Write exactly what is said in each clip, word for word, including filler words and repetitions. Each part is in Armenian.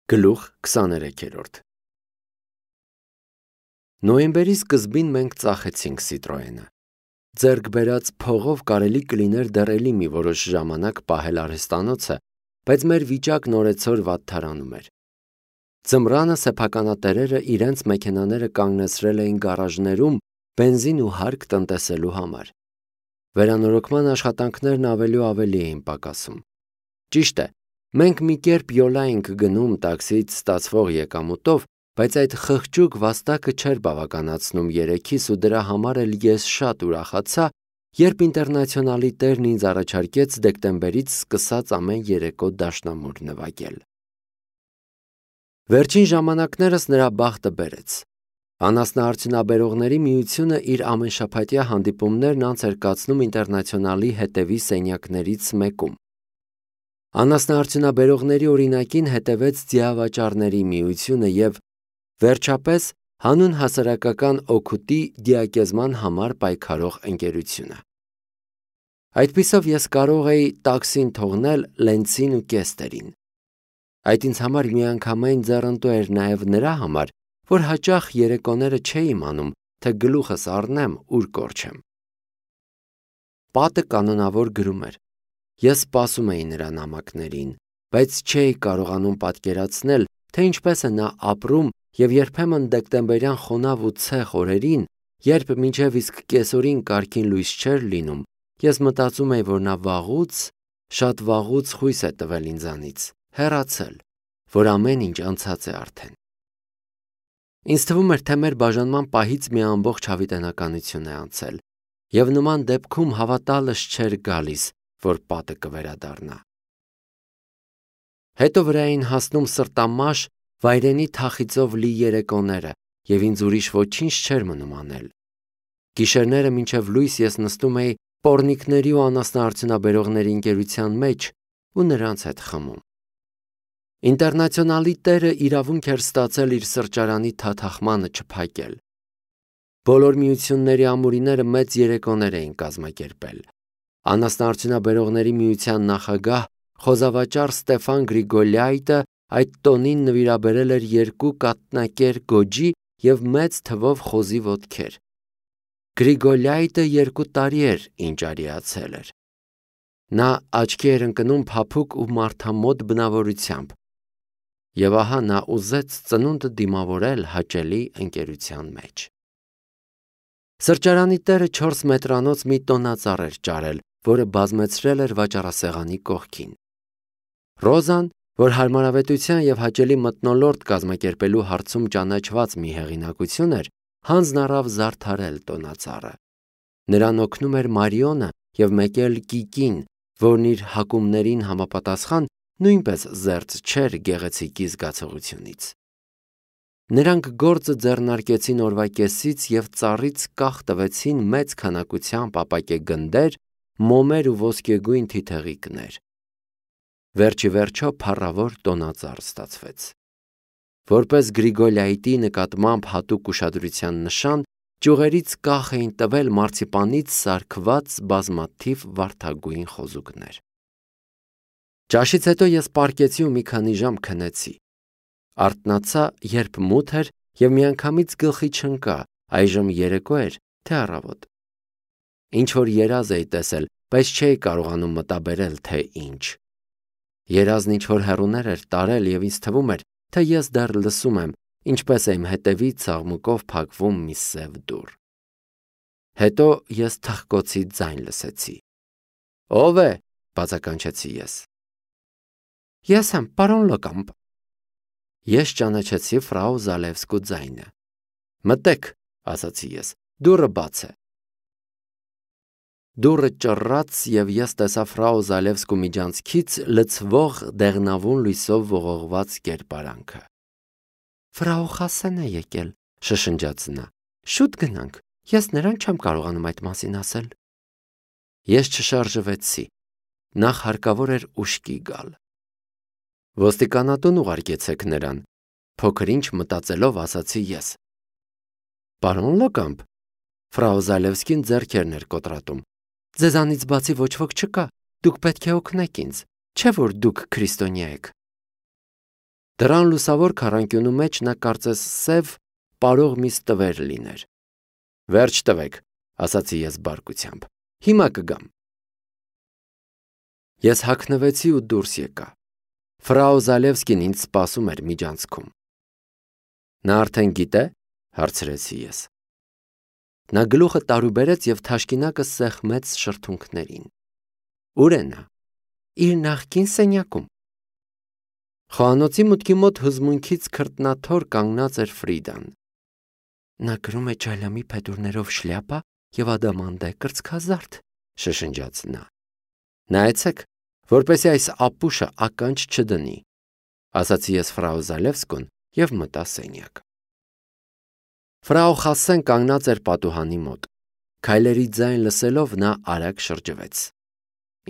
Գլուխ քսաներեքերորդ Նոյեմբերի սկզբին մենք ծախեցինք Citroën-ը։ Ձեռք բերած փողով կարելի կլիներ դեռ էլի մի որոշ ժամանակ պահել արհեստանոցը, բայց մեր վիճակն օրեցօր վատթարանում էր։ Ձմռանը սեփականատերերը իրենց մեքենաները կանգնեցրել էին գարաժներում բենզին ու հարկ տնտեսելու համար։ Վերանորոգման աշխատանքներն ավելի ու ավելի էին պակասում։ Ճիշտ է, մենք մի կերպ յոլա էինք գնում տաքսիից ստացվող եկամուտով, բայց այդ խղճուկ վաստակը չէր բավականացնում երեքիս ու դրա համար էլ ես շատ ուրախացա, երբ Ինտերնացիոնալի տերն ինձ առաջարկեց դեկտեմբերից սկսած ամեն երեկո դաշնամուր նվագել։ Վերջին ժամանակներս նրա բախտը բերեց։ Անասնաարդյունաբերողների միությունը իր ամենշաբաթյա հանդիպումներն անց էր կացնում Ինտերնացիոնալի հետևի սենյակներից մեկում։ Անասնաարդյունաբերողների օրինակին հետևեց ձիավաճառների միությունը և, վերջապես, հանուն հասարակական օգուտի դիակեզման համար պայքարող ընկերությունը։ Այդպիսով ես կարող էի տաքսին թողնել Լենցին ու Կեստերին։ Այդ ինձ համար միանգամայն ձեռնտու էր նաև նրա համար, որ հաճախ երեկոները չէի իմանում, թե գլուխս առնեմ, ուր կորչեմ։ Պատը կանոնավոր գրում էր։ Ես սպասում էի նրա նամակներին, բայց չէի կարողանում պատկերացնել, թե ինչպես է նա ապրում և երբեմն դեկտեմբերյան խոնավ ու ցեղ օրերին, երբ մինչև իսկ կեսօրին կարգին լույս չէր լինում, ես մտածում էի, որ նա վաղուց, շատ վաղուց խույս է տվել ինձանից, հեռացել, որ ամեն ինչ անցած է արդեն։ Ինձ թվում էր, թե մեր բաժանման պահից մի ամբողջ հավիտենականություն է անցել, և նման դեպքում հավատալս չէր գալիս, որ պատը կվերադառնա։ Հետո վրա էին հասնում սրտամաշ, վայրենի թախիծով լի երեկոները, և ինձ ուրիշ ոչինչ չէր մնում անել։ Գիշերները մինչև լույս ես նստում էի պոռնիկների ու անասնաարդյունաբերողների ընկերության մեջ ու նրանց հետ խմում։ Ինտերնացիոնալի տերը իրավունք էր ստացել իր սրճարանի թաթախմանը չփակել։ Բոլոր միությունների ամուրիները մեծ երեկոներ էին կազմակերպել։ Անասնաարդյունաբերողների միության նախագահ խոզավաճառ Ստեֆան Գրիգոլյայտը այդ տոնին նվիրաբերել էր երկու կաթնակեր գոջի և մեծ թվով խոզի ոտքեր։ Գրիգոլյայտը երկու տարի էր, ինչ արիացել էր։ Նա աչքի էր ընկնում փափուկ ու մարդամոտ բնավորությամբ, և ահա նա ուզեց ծնունդը դիմավորել հաճելի ընկերության մեջ։ Սրճարանի տերը չորս մետրանոց մի տոնածառ էր ճարել, որը բազմեցրել էր վաճառասեղանի կողքին։ Ռոզան, որ հարմարավետության և հաճելի մթնոլորտ կազմակերպելու հարցում ճանաչված մի հեղինակություն էր, հանձն առավ զարդարել տոնածառը։ Նրան օգնում էր Մարիոնը և մեկ էլ Կիկին, որն իր հակումներին համապատասխան նույնպես զերծ չէր գեղեցիկի զգացողությունից։ Նրանք գործը ձեռնարկեցին օրվա կեսից և ծառից կախ տվեցին մեծ քանակությամբ ապակե գնդեր, մոմեր ու ոսկեգույն թիթեղիկներ։ Վերջ ի վերջո փառավոր տոնածառ ստացվեց։ Որպես Գրիգոլյայտի նկատմամբ հատուկ ուշադրության նշան, ճյուղերից կախ էին տվել մարցիպանից սարքված բազմաթիվ վարդագույն խոզուկներ։ Ճաշից հետո ես պառկեցի ու մի քանի ժամ քնեցի։ Արթնացա, երբ մութ էր, և միանգամից գլխի չընկա՝ այժմ երեկո էր, թե առավոտ։ Ինչ-որ երազ էի տեսել, բայց չէի կարողանում մտաբերել, թե ինչ։ Երազն ինչ-որ հեռուներ էր տարել, և ինձ թվում էր, թե ես դեռ լսում եմ, ինչպես է իմ հետևից աղմուկով փակվում մի սև դուռ։ Հետո ես թխկոցի ձայն լսեցի։ «Ո՞վ է», բացականչեցի ես։ «Ես եմ, պարոն Լոկամպ»։ Ես ճանաչեցի ֆրау Զալևսկու ձայնը։ «Մտեք», ասացի ես, «դուռը բաց է»։ Դուռը ճռռաց, և ես տեսա ֆրау Զալևսկու միջանցքից լցվող դեղնավուն լույսով ողողված կերպարանքը։ «Ֆրау Խասեն է եկել», շշնջաց նա։ «Շուտ գնանք, ես նրան չեմ կարողանում այդ մասին ասել»։ Ես չշարժվեցի։ Նախ հարկավոր էր ուշքի գալ։ «Ոստիկանատուն ուղարկեցեք նրան», փոքր-ինչ մտածելով ասացի ես։ «Պարոն Լոկամպ», ֆրау Զալևսկին ձեռքերն էր կոտրատում, «ձեզանից բացի ոչ ոք չկա, դուք պետք է օգնեք ինձ, չէ՞ որ դուք քրիստոնյա եք»։ Դրան լուսավոր քառանկյունու մեջ նա կարծես սև պարող մի ստվեր լիներ։ Վերջ տվեք, ասացի ես բարկությամբ։ Հիմա կգամ։ Ես հագնվեցի ու դուրս եկա։ Ֆրау Զալևսկին ինձ սպասում էր միջանցքում։ Նա արդեն գիտե, հարցրեցի ես։ Նա գլուխը տարուբերեց և թաշկինակը սեղմեց շրթունքներին։ Ուր է նա։ Իր նախկին սենյակում։ Խոհանոցի մուտքի մոտ հուզմունքից քրտնաթոր կանգնած էր Ֆրիդան։ Նա կրում է ջայլամի փետուրներով շլյապա և ադամանդե կրծքազարդ, շշնջաց նա։ Նայեցեք, որպեսզի այս ապուշը ականջ չդնի, ասացի ես ֆրау Զալևսկուն և մտա սենյակ։ Ֆրау Խասսեն կանգնած էր պատուհանի մոտ։ Քայլերի ձայն լսելով նա արագ շրջվեց։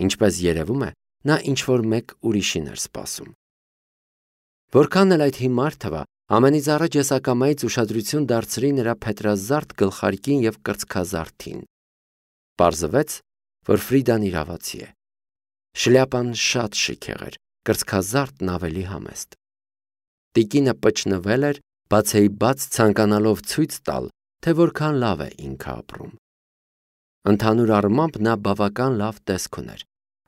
Ինչպես երևում է, նա ինչ-որ մեկ ուրիշին էր սպասում։ Որքան էլ այդ հիմար թվա, ամենից առաջ ես ակամայից ուշադրություն դարձրի նրա փետրազարդ գլխարկին և կրծքազարդին։ Պարզվեց, որ Ֆրիդան իրավացի է։ Շլյապան շատ շքեղ էր, կրծքազարդն ավելի համեստ։ Տիկինը պչնվել էր, բացեի բաց ցանկանալով ցույց տալ, թե որքան լավ է ինքը ապրում։ Ընդհանուր առմամբ նա բավական լավ տեսք ուներ,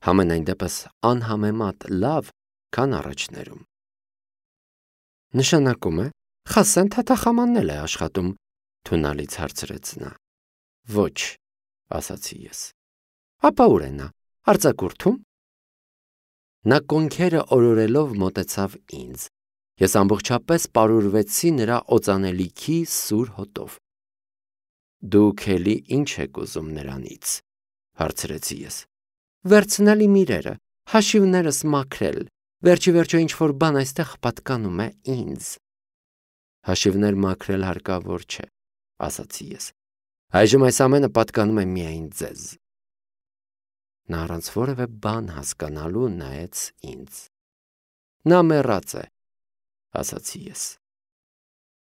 համենայն դեպս անհամեմատ լավ, քան առաջներում։ Նշանակում է, Խասսեն թաթախամանն է աշխատում, թունալից հարցրեց նա։ Ոչ, ասացի ես։ Ապա ուր է նա, արձակուրդում։ Նա կոնքերը օրորելով մոտեցավ ինձ։ Ես ամբողջապես պարուրվեցի նրա օծանելիքի սուր հոտով։ Դուք էլի ինչ եք ուզում նրանից, հարցրեցի ես։ Վերցնել իմ իրերը, հաշիվներս մաքրել, վերջի վերջո ինչ-որ բան այստեղ պատկանում է ինձ։ Հաշիվներ մաքրել հարկավոր չէ, ասացի ես։ Այժմ այս ամենը պատկանում է միայն ձեզ։ Նա առանց որևէ բան հասկանալու նայեց ինձ։ Նա մեռած է, ասացի ես։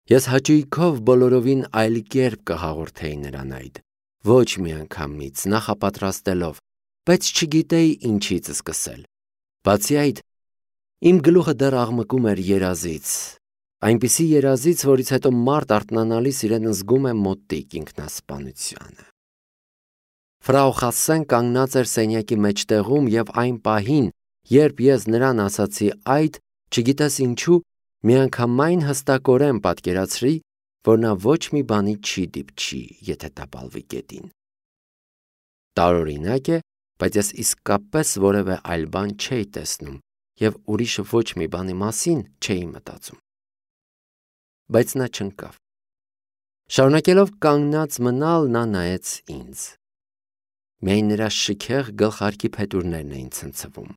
Ես հաճույքով բոլորովին այլ կերպ կհաղորդեի նրան այդ, ոչ մի անգամից նախապատրաստելով, բայց չգիտեի ինչից սկսել։ Բացի այդ, իմ գլուխը դեռ աղմկում էր երազից, այնպիսի երազից, որից հետո մարդ արթնանալիս իրեն զգում է մոտիկ ինքնասպանությանը։ Ֆրау Խասսեն կանգնած էր սենյակի մեջտեղում և այն պահին, երբ ես նրան ասացի այդ, չգիտես ինչու, միանգամայն հստակորեն պատկերացրի, որ նա ոչ մի բանի չի դիպչի, եթե տապալվի գետին։ Տարօրինակ է, բայց ես իսկապես որևէ այլ բան չէի տեսնում և ուրիշ ոչ մի բանի մասին չէի մտածում։ Բայց նա չընկավ։ Շարունակելով կանգնած մնալ, նա նայեց ինձ։ Միայն նրա շքեղ գլխարկի փետուրներն էին ցնցվում։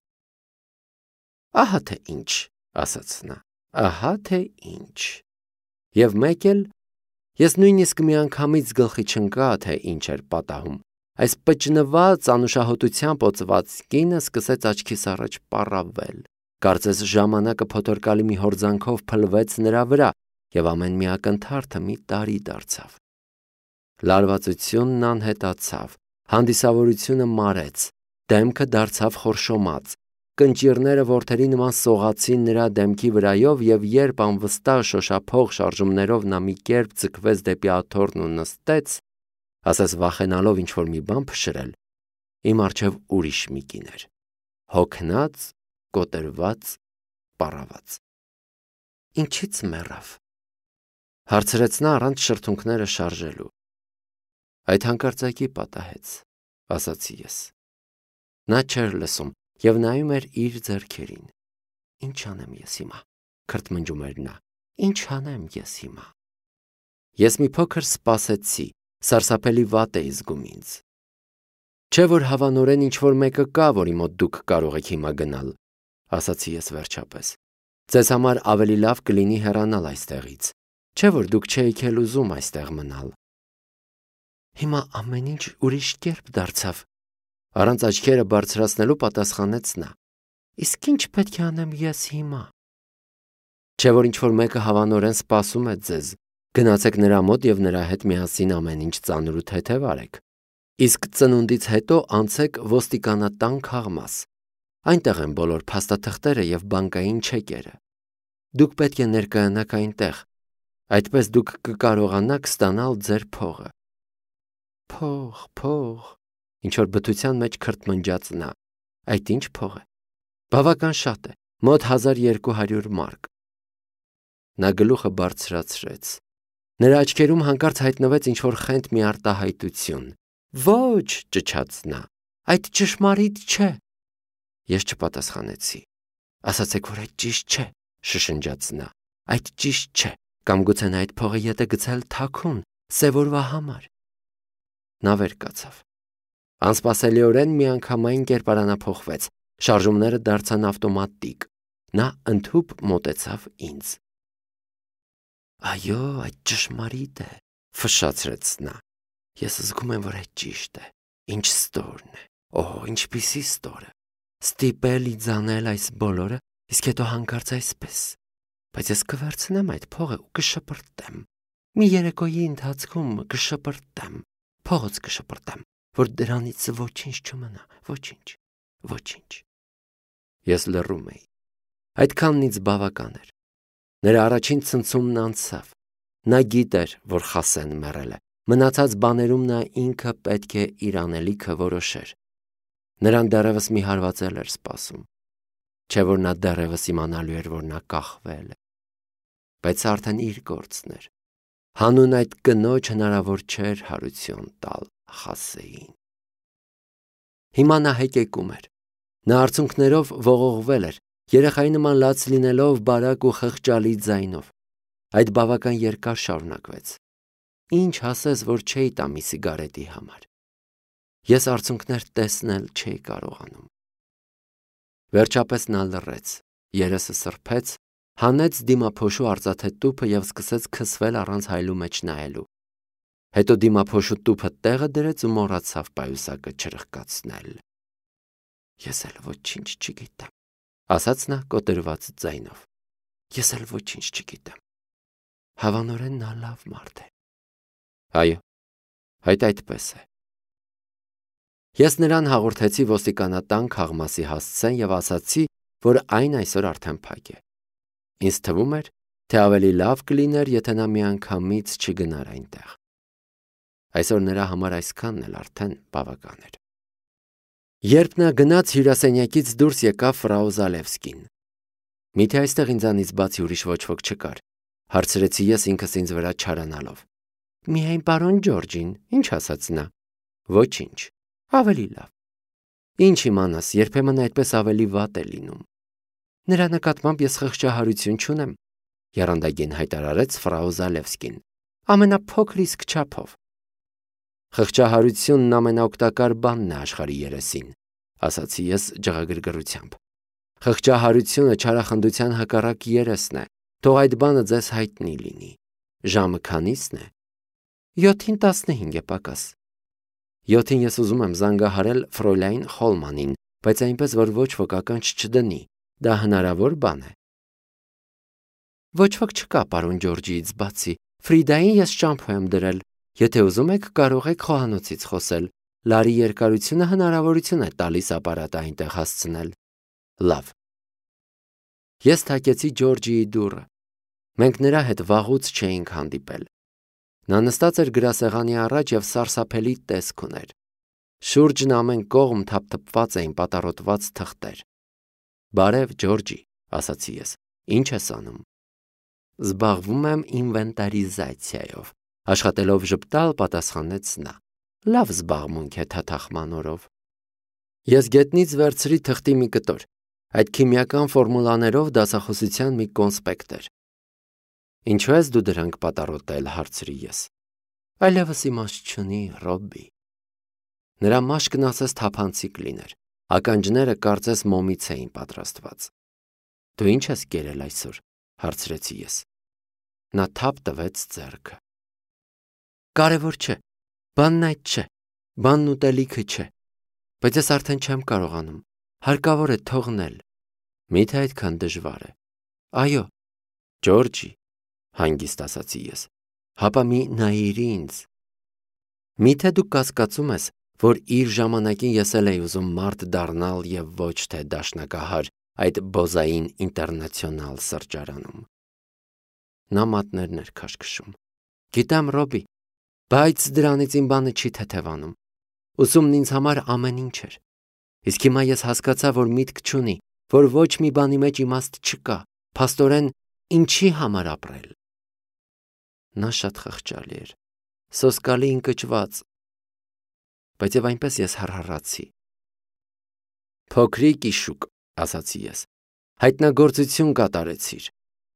Ահա թե ինչ, ասաց նա, ահա թե ինչ։ Եվ մեկ էլ ես նույնիսկ միանգամից գլխի չընկա, թե ինչ էր պատահում։ Այս պճնված անուշահոտությամբ օծված կինը սկսեց աչքիս առաջ պառավել։ Կարծես ժամանակը փոթորկալի մի հորձանքով փլվեց նրա վրա, և ամեն մի ակնթարթը մի տարի դարձավ։ Լարվածությունն անհետացավ, հանդիսավորությունը մարեց, դեմքը դարձավ խորշոմած, կնճիռները որդերի նման սողացին նրա դեմքի վրայով, և երբ անվստահ շոշափող շարժումներով նա մի կերպ ձգվեց դեպի աթոռն ու նստեց, ասես վախենալով ինչ-որ մի բան փշրել, իմ առջև ուրիշ մի կին էր, հոգնած, կոտրված, պառաված։ Ինչի՞ց մեռավ, հարցրեց նա առանց շրթունքները շարժելու։ Այդ հանկարծակի պատահեց, ասացի ես։ Նա չէր լսում և նայում էր իր ձեռքերին։ Ինչ անեմ ես հիմա, քրթմնջում էր նա, ինչ անեմ ես հիմա։ Ես մի փոքր սպասեցի, սարսափելի վատ էի զգում ինձ։ Չէ որ հավանորեն ինչ-որ մեկը կա, որի մոտ դուք կարող եք հիմա գնալ, ասացի ես վերջապես։ Ձեզ համար ավելի լավ կլինի հեռանալ այստեղից, չէ որ դուք չէիք էլ ուզում այստեղ մնալ։ Հիմա ամեն ինչ ուրիշ կերպ դարձավ, առանց աչքերը բարձրացնելու պատասխանեց նա։ Իսկ ինչ պետք է անեմ ես հիմա։ Չէ որ ինչ-որ մեկը հավանորեն սպասում է ձեզ, գնացեք նրա մոտ և նրա հետ միասին ամեն ինչ ծանր ու թեթև արեք։ Իսկ ծնունդից հետո անցեք ոստիկանատան քաղմաս։ Այնտեղ են բոլոր փաստաթղթերը և բանկային չեկերը։ Դուք պետք է ներկայանաք այնտեղ, այդպես դուք կկարողանաք ստանալ ձեր փողը։ Փող, փող, ինչ որ բթության մեջ քրթմնջաց նա։ Այդ ինչ փող է։ Բավական շատ է, մոտ հազար երկու հարյուր մարկ։ Նա գլուխը բարձրացրեց։ Նրա աչքերում հանկարծ հայտնվեց ինչ-որ խենթ մի արտահայտություն։ Ոչ, ճչաց նա, այդ ճշմարիտ չէ։ Ես չպատասխանեցի։ Ասացեք, որ այդ ճիշտ չէ, շշնջաց նա։ Այդ ճիշտ չէ, կամ գուցե նա այդ փողը ետ է գցել թաքուն, սև օրվա համար։ Նա վեր կացավ։ Անսպասելիորեն միանգամայն կերպարանափոխվեց, շարժումները դարձան ավտոմատիկ։ Նա ընդհուպ մոտեցավ ինձ։ Այո, այդ ճշմարիտ է, ֆշշացրեց նա։ Ես զգում եմ, որ այդ ճիշտ է։ Ինչ ստորն է։ Օ, ինչպիսի ստորը։ Ստիպել իձանել այս բոլորը, իսկ հետո հանկարծ այսպես։ Բայց ես կվերցնեմ այդ փողը ու կշպրտեմ։ Մի երեկոյի ընթացքում կշպրտեմ, փողոց կշպրտեմ, որ դրանից ոչինչ չմնա, ոչինչ, ոչինչ։ Ես լռում էի։ Այդքանն ինձ բավական էր։ Նրա առաջին ցնցումն անցավ։ Նա գիտեր, որ Խասեն մեռել է։ Մնացած բաներում նա ինքը պետք է իր անելիքը որոշեր։ Նրան դեռևս մի հարվածել էր սպասում։ Չէ որ նա դեռևս իմանալու էր, որ նա կախվել է։ Բայց արդեն իր գործն էր։ Հանուն այդ կնոջ հնարավոր չէր հարություն տալ Խասեին։ Հիմա նա հեկեկում էր։ Նա արցունքներով ողողվել էր, երեխայի նման լաց լինելով բարակ ու խղճալի ձայնով։ Այդ բավական երկար շարունակվեց։ Ինչ ասես, որ չէի տա մի սիգարետի համար։ Ես արցունքներ տեսնել չէի կարողանում։ Վերջապես նա լռեց, երեսը սրբեց, հանեց դիմափոշու արծաթե տուփը և սկսեց քսվել առանց հայլու մեջ նայելու։ Հետո դիմափոշու տուփը տեղը դրեց ու մոռացավ պայուսակը չրխկացնել։ Ես էլ ոչինչ չգիտեմ, ասաց նա կոտրված ձայնով։ Ես էլ ոչինչ չգիտեմ։ Հավանորեն նա լավ մարդ է։ Այո, այդ այդպես է։ Ես նրան հաղորդեցի ոստիկանատան քաղմասի հասցեն և ասացի, որ այն այսօր արդեն փակ է։ Ինձ թվում էր, թե ավելի լավ կլիներ, եթե նա միանգամից չգնար այնտեղ։ Այսօր նրա համար այսքանն էլ արդեն բավական էր։ Երբ նա գնաց հյուրասենյակից դուրս եկավ ֆրау Զալևսկին։ Միթե այստեղ ինձանից բացի ուրիշ ոչ ոք չկար, հարցրեցի ես ինքս ինձ վրա չարանալով։ Միայն պարոն Ջորջին, ինչ ասաց նա։ Ոչինչ, ավելի լավ։ Ինչ իմանաս, երբեմն այդպես ավելի վատ է լինում։ Նրա նկատմամբ ես խղճահարություն չունեմ, եռանդագին հայտարարեց ֆրау Զալևսկին, ամենափոքր իսկ չափով։ Խղճահարությունն ամենաօգտակար բանն է աշխարհի երեսին, ասացի ես ջղագրգռությամբ։ Խղճահարությունը չարախնդության հակառակ երեսն է, թող այդ բանը ձեզ հայտնի լինի։ Ժամը քանիսն է։ Յոթին տասնհինգ է պակաս։ Յոթին ես ուզում եմ զանգահարել ֆրոյլայն Խոլմանին, բայց այնպես, որ ոչ ոք ականջ չդնի, դա հնարավոր բան է։ Ոչ ոք չկա, պարոն Ջորջիից բացի, Ֆրիդային ես շամփու եմ դրել, եթե ուզում եք կարող եք խոհանոցից խոսել, լարի երկարությունը հնարավորություն է տալիս ապարատը այնտեղ հասցնել։ Լավ։ Ես թակեցի Ջորջիի դուռը։ Մենք նրա հետ վաղուց չէինք հանդիպել։ Նա նստած էր գրասեղանի առաջ և սարսափելի տեսք ուներ։ Շուրջն ամեն կողմ թափթփված էին պատառոտված թղթեր։ Բարև, Ջորջի, ասացի ես, ինչ ես անում։ Զբաղվում եմ ինվենտարիզացիայով, աշխատելով ժպտալ, պատասխանեց նա։ Լավ զբաղմունք է թաթախման օրով։ Ես գետնից վերցրի թղթի մի կտոր, այդ քիմիական ֆորմուլաներով դասախոսության մի կոնսպեկտ էր։ Ինչու ես դու դրանք պատառոտել, հարցրի ես։ Այլևս իմաստ չունի, Ռոբբի։ Նրա մաշկն ասես թափանցիկ լիներ, ականջները կարծես մոմից էին պատրաստված։ Դու ինչ ես կերել այսօր, հարցրեցի ես։ Նա թափ տվեց ձեռքը։ Կարևոր չէ, բանն այդ չէ, բանն ուտելիքը չէ, բայց ես արդեն չեմ կարողանում, հարկավոր է թողնել։ Միթե այդքան դժվար է։ Այո, Ջորջի, հանգիստ ասացի ես, հապա մի նայիր ինձ։ Միթե դու կասկածում ես, որ իր ժամանակին ես էլ էի ուզում մարդ դառնալ և ոչ թե դաշնակահար, այդ բոզային ինտերնացիոնալ սրճարանում։ Նա մատներն էր քաշքշում։ Գիտեմ, Ռոբի, բայց դրանից իմ բանը չի թեթևանում։ Ուսումն ինձ համար ամեն ինչ էր։ Իսկ հիմա ես հասկացա, որ միտք չունի, որ ոչ մի բանի մեջ իմաստ չկա, փաստորեն ինչի համար ապրել։ Նա շատ խղճալի էր, սոսկալի ընկճված, բայց եւ այնպես ես հառհառացի։ Փոքրիկ իշուկ, ասացի ես, հայտնագործություն կատարեցիր։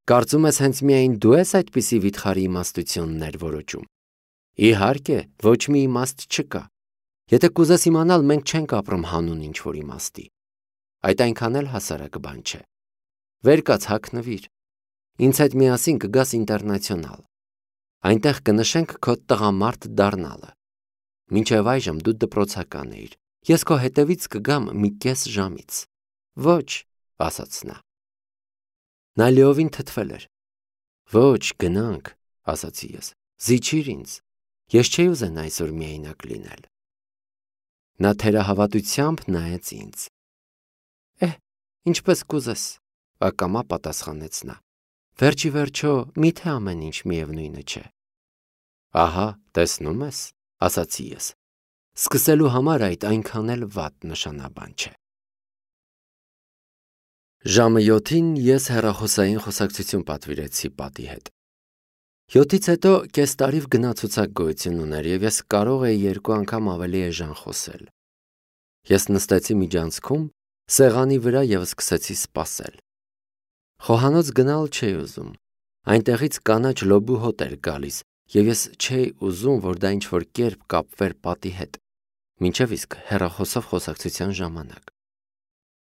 Կարծում ես հենց միայն դու ես այդպիսի վիթխարի իմաստություններ որոճում։ Իհարկե, ոչ մի իմաստ չկա։ Եթե կուզես իմանալ, մենք չենք ապրում հանուն ինչ-որ իմաստի։ Այդ այնքան էլ հասարակ բան չէ։ Վեր կաց հագնվիր։ Ինձ հետ միասին կգաս ինտերնացիոնալ։ Այնտեղ կնշենք քո տղամարդ դառնալը։ Մինչև այժմ դու դպրոցական էիր։ Ես քո հետևից կգամ մի կես ժամից։ Ոչ, ասաց նա։ Նա լիովին թթվել էր։ Ոչ, գնանք, ասացի ես։ Զիջիր ինձ։ Ես չէի ուզենա այսօր միայնակ լինել։ Նա թերահավատությամբ նայեց ինձ։ Էհ, ինչպես կուզես, ակամա պատասխանեց նա։ Վերջի վերջո, միթե ամեն ինչ միևնույնը չէ։ Ահա, տեսնում ես, ասացի ես։ Սկսելու համար այդ այնքան էլ վատ նշանաբան չէ։ Ժամը յոթին ես հեռախոսային խոսակցություն պատվիրեցի պատի հետ։ Յոթից հետո կես տարիվ գնացուցակ գոյություն ուներ և ես կարող էի երկու անգամ ավելի էժան խոսել։ Ես նստեցի միջանցքում, սեղանի վրա և սկսեցի սպասել։ Խոհանոց գնալ չէի ուզում։ Այնտեղից կանաչ լոբու հոտ էր գալիս, և ես չէի ուզում, որ դա ինչ-որ կերպ կապվեր պատի հետ, մինչև իսկ հեռախոսով խոսակցության ժամանակ։